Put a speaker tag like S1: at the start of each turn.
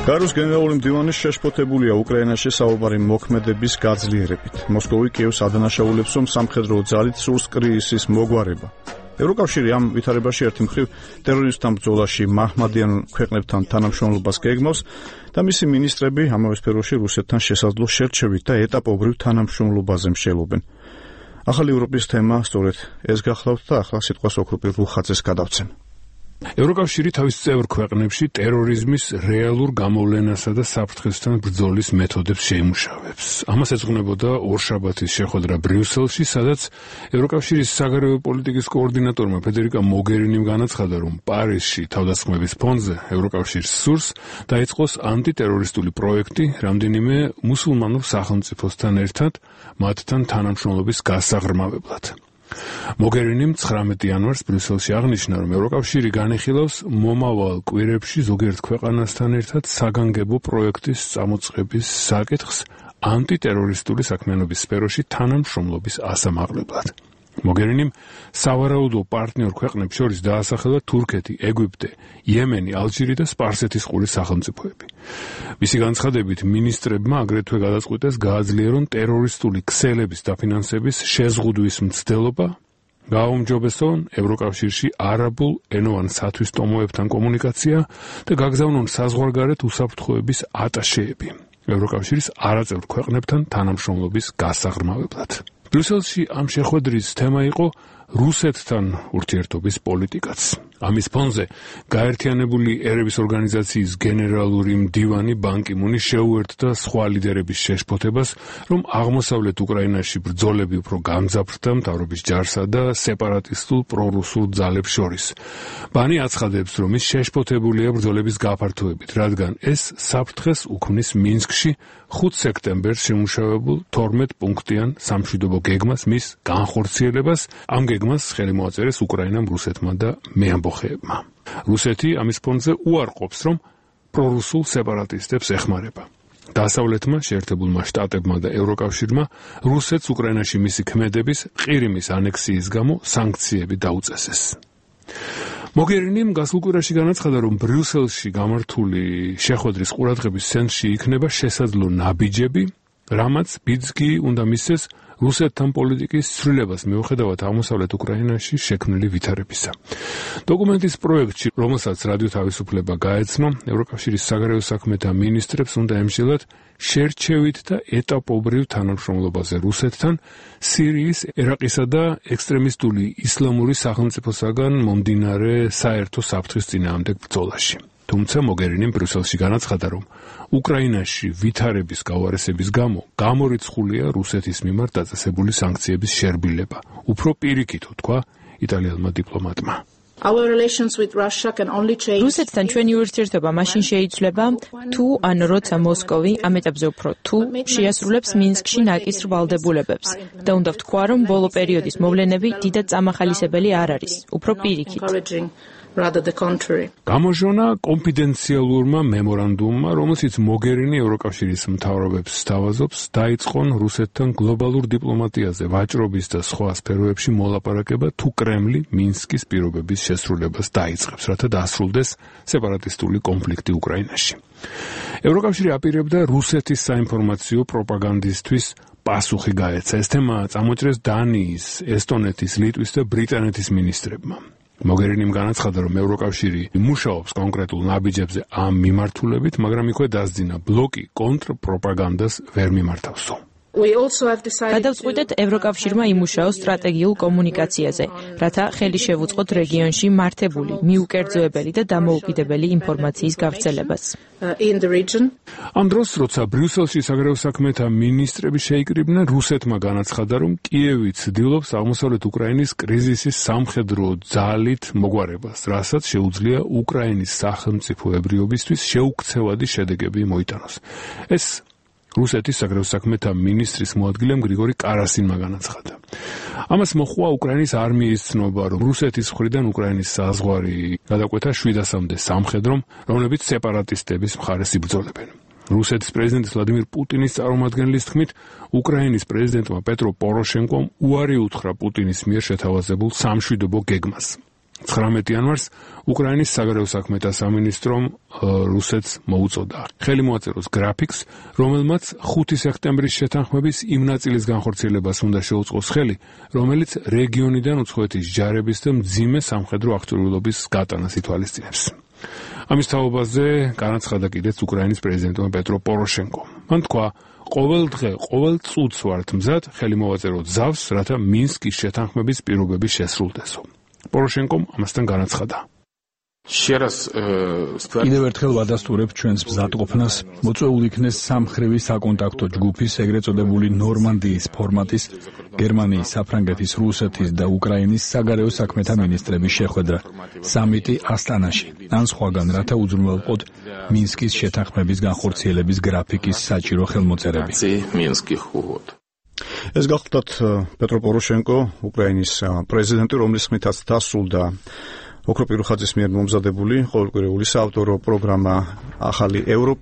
S1: გარუს გენერალური მდივანის შეშფოთებულია უკრაინაში საუბარი მოქმედების გაძლიერებით. მოსკოვი კიევს ადანაშაულებს, რომ სამხედრო ძალით სურს კრიზისის მოგვარება. ევროკავშირი ამ ვითარებაში ერთი მხრივ ტერორისტთა ბრძოლაში მაჰმადიან ქვეყნებთან თანამშრომლობას გეგმავს და მისი მინისტრები ამავე სფეროში რუსეთთან შესაძლო შერჩევით და ეტაპობრივ თანამშრომლობაზე მსჯელობენ. ახალი ევროპის თემა სწორედ ეს გახლავთ და ახლა სიტყვას ოქროპირ რუხაძეს გადავცემ.
S2: ევროკავშირი თავის წევრ ქვეყნებში ტერორიზმის რეალურ გამოვლენასა და საფრთხესთან ბრძოლის მეთოდებს შეიმუშავებს. ამას ეძღვნებოდა ორშაბათის შეხვედრა ბრიუსელში, სადაც ევროკავშირის საგარეო პოლიტიკის კოორდინატორმა ფედერიკა მოგერინიმ განაცხადა, რომ პარიზში თავდასხმების ფონზე ევროკავშირს სურს დაიწყოს ანტიტერორისტული პროექტი რამდენიმე მუსულმანურ სახელმწიფოსთან ერთად მათთან თანამშრომლობის გასაღრმავებლად. მოგერინიმ 19 იანვარს ბრიუსელში აღნიშნა, რომ ევროკავშირი განიხილავს მომავალ კვირებში ზოგიერთ ქვეყანასთან ერთად საგანგებო პროექტის წამოწყების საკითხს ანტიტერორისტული საქმიანობის სფეროში თანამშრომლობის ასამაღლებლად. მოგერინიმ სავარაუდო პარტნიორ ქვეყნებს შორის დაასახელა თურქეთი, ეგვიპტე, იემენი, ალჟირი და სპარსეთის ყურის სახელმწიფოები. მისი განცხადებით მინისტრებმა აგრეთვე გადაწყვიტეს გააძლიერონ ტერორისტული ქსელების დაფინანსების შეზღუდვის მცდელობა, გააუმჯობესონ ევროკავშირში არაბულ ენოვან სათვისტომოებთან კომუნიკაცია და გაგზავნონ საზღვარგარეთ უსაფრთხოების ატაშეები ევროკავშირის არაწევრ ქვეყნებთან თანამშრომლობის გასაღრმავებლად. ბრიუსელში ამ შეხვედრის თემა იყო რუსეთთან ურთიერთობის პოლიტიკაც. ამის ფონზე გაერთიანებული ერების ორგანიზაციის გენერალური მდივანი ბან კი მუნი შეუერთდა სხვა ლიდერების შეშფოთებას, რომ აღმოსავლეთ უკრაინაში ბრძოლები უფრო გამძაფრდა მთავრობის ჯარსა და სეპარატისტულ პრორუსულ ძალებს შორის. ბანი აცხადებს, რომ ის შეშფოთებულია ბრძოლების გაფართოებით, რადგან ეს საფრთხეს უქმნის მინსკში 5 სექტემბერს შემუშავებულ 12 პუნქტიან სამშვიდობო გეგმას, მის განხორციელებას. ამ გეგმას ხელი მოაწერეს უკრაინამ, რუსეთმა და მეამბოხეებმა. რუსეთი ამის ფონზე უარყოფს, რომ პრორუსულ სეპარატისტებს ეხმარება. დასავლეთმა, შეერთებულმა შტატებმა და ევროკავშირმა რუსეთს უკრაინაში მისი ქმედების ყირიმის ანექსიის გამო სანქციები დაუწესეს. მოგერინიმ გასულ კვირაში განაცხადა, რომ ბრიუსელში გამართული შეხვედრის ყურადღების ცენტრში იქნება შესაძლო ნაბიჯები, რამაც ბიძგი უნდა მისცეს რუსეთთან პოლიტიკის ცვლილებას მიუხედავად აღმოსავლეთ უკრაინაში შექმნილი ვითარებისა. დოკუმენტის პროექტში, რომელსაც რადიო თავისუფლება გაეცნო, ევროკავშირის საგარეო საქმეთა მინისტრებს უნდა ემსჯელოთ შერჩევით და ეტაპობრივ თანამშრომლობაზე რუსეთთან სირიის, ერაყისა და ექსტრემისტული ისლამური სახელმწიფოსაგან მომდინარე საერთო საფრთხის წინააღმდეგ ბრძოლაში. თუმცა მოგერინიმ ბრიუსელში განაცხადა, რომ უკრაინაში ვითარების გაუარესების გამო გამორიცხულია რუსეთის მიმართ დაწესებული სანქციების შერბილება. უფრო პირიქით, თქვა იტალიელმა დიპლომატმა.
S3: რუსეთთან ჩვენი ურთიერთობა მაშინ შეიცვლება, თუ ან როცა მოსკოვი, ამ ეტაპზე უფრო თუ შეასრულებს მინსკში ნაკისრ ვალდებულებებს და უნდა ვთქვა, რომ ბოლო პერიოდის მოვლენები დიდად წამახალისებელი არ არის, უფრო პირიქით.
S2: გამოჟონა კონფიდენციალურმა მემორანდუმმა, რომელშიც მოგერინი ევროკავშირის მთავრობებს სთავაზობს დაიწყონ რუსეთთან გლობალურ დიპლომატიაზე ვაჭრობის და სხვა სფეროებში მოლაპარაკება, თუ კრემლი მინსკის პირობების შესრულებას დაიწყებს, რათა დასრულდეს სეპარატისტული კონფლიქტი უკრაინაში. ევროკავშირი აპირებდა რუსეთის საინფორმაციო პროპაგანდისთვის პასუხი გაეცა. ეს თემა წამოჭრეს დანიის, ესტონეთის, ლიტვის და ბრიტანეთის მინისტრებმა. მოგერინიმ განაცხადა, რომ ევროკავშირი მუშაობს კონკრეტულ ნაბიჯებზე ამ მიმართულებით, მაგრამ იქვე დასძინა ბლოკი კონტრპროპაგანდას ვერ მიმართავსო.
S3: გადავწყვიტეთ ევროკავშირმა იმუშაოს სტრატეგიულ კომუნიკაციაზე, რათა ხელი შევუწყოთ რეგიონში მართებული, მიუკერძოებელი და დამოუკიდებელი ინფორმაციის გავრცელებას.
S2: ამ დროს, როცა ბრიუსელში საგარეო საქმეთა მინისტრები შეიკრიბნენ, რუსეთმა განაცხადა, რომ კიევი ცდილობს აღმოსავლეთ უკრაინის კრიზისის სამხედრო ძალით მოგვარებას, რასაც შეუძლია უკრაინის სახელმწიფოებრიობისთვის შეუქცევადი შედეგები მოიტანოს. ეს რუსეთის საგარეო საქმეთა მინისტრის მოადგილემ გრიგორი კარასინმა განაცხადა. ამას მოჰყვა უკრაინის არმიის ცნობა, რომ რუსეთის მხრიდან უკრაინის საზღვარი გადაკვეთა 700-მდე სამხედრომ, რომლებიც სეპარატისტების მხარეს იბრძოლებენ. რუსეთის პრეზიდენტის ვლადიმირ პუტინის წარმომადგენლის თქმით, უკრაინის პრეზიდენტმა პეტრო პოროშენკომ უარი უთხრა პუტინის მიერ შეთავაზებულ სამშვიდობო გეგმას. 19 იანვარს უკრაინის საგარეო საქმეთა სამინისტრომ რუსეთს მოუწოდა ხელი მოაწეროს გრაფიკს, რომელმაც 5 სექტემბრის შეთანხმების იმ ნაწილის განხორციელებას უნდა შეუწყოს ხელი, რომელიც რეგიონიდან უცხოეთის ჯარების და მძიმე სამხედრო აღჭურვილობის გატანას ითვალისწინებს. ამის თაობაზე განაცხადა კიდეც უკრაინის პრეზიდენტმა პეტრო პოროშენკომ. მან თქვა, ყოველ დღე, ყოველ წუთს ვართ მზად ხელი მოვაწეროთ ზავს, რათა მინსკის შეთანხმების პირობები შესრულდესო. პოროშენკომ ამასთან განაცხადა.
S4: კიდევ ერთხელ ვადასტურებ ჩვენს მზადყოფნას, მოწვეული იქნეს სამხრივი საკონტაქტო ჯგუფის, ეგრეთ წოდებული ნორმანდიის ფორმატის, გერმანიის, საფრანგეთის, რუსეთის და უკრაინის საგარეო საქმეთა მინისტრების შეხვედრა, სამიტი ასტანაში, ან სხვაგან, რათა უზრუნველყოთ მინსკის შეთანხმების განხორციელების გრაფიკის საჭირო ხელმოწერები.
S1: ეს გახლდათ პეტრო პოროშენკო, უკრაინის პრეზიდენტი, რომლის ხმითაც დასრულდა ოქროპირუხაძის მიერ მომზადებული ყოველკვირეული საავტორო პროგრამა ახალი ევროპა.